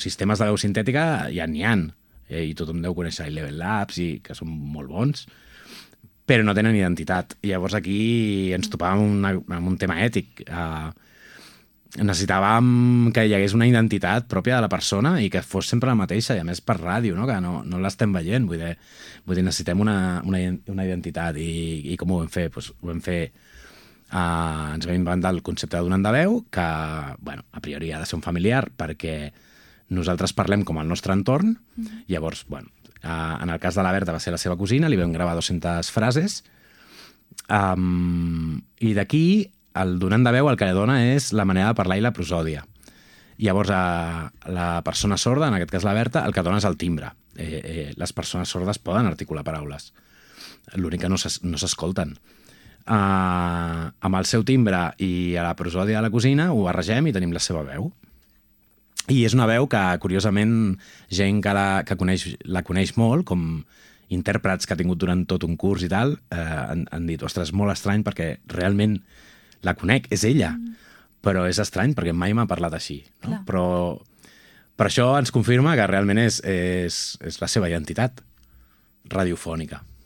sistemes de veu sintètica ja n'hi ha, i tothom deu conèixer Eleven Labs, i que són molt bons, però no tenen identitat. I llavors aquí ens topàvem amb un tema ètic. Necessitàvem que hi hagués una identitat pròpia de la persona i que fos sempre la mateixa, i a més per ràdio, no? Que no l'estem veient. Vull dir, necessitem una identitat. I com ho vam fer? Pues ho vam fer... ens vam inventar el concepte d'un de veu, que, bueno, a priori ha de ser un familiar, perquè nosaltres parlem com el nostre entorn. Llavors, bueno, en el cas de la Berta va ser la seva cosina, li vam gravar 200 frases, i d'aquí el donant de veu el que li dona és la manera de parlar i la prosòdia. Llavors, la persona sorda, en aquest cas la Berta, el que dona és el timbre. Les persones sordes poden articular paraules, l'únic que no s'escolten. Amb el seu timbre i a la prosòdia de la cosina ho barregem i tenim la seva veu. I és una veu que, curiosament, gent que la coneix molt, com intèrprets que ha tingut durant tot un curs i tal, han dit, ostres, molt estrany perquè realment la conec, és ella, però és estrany perquè mai m'ha parlat així. No? Però això ens confirma que realment és la seva identitat radiofònica.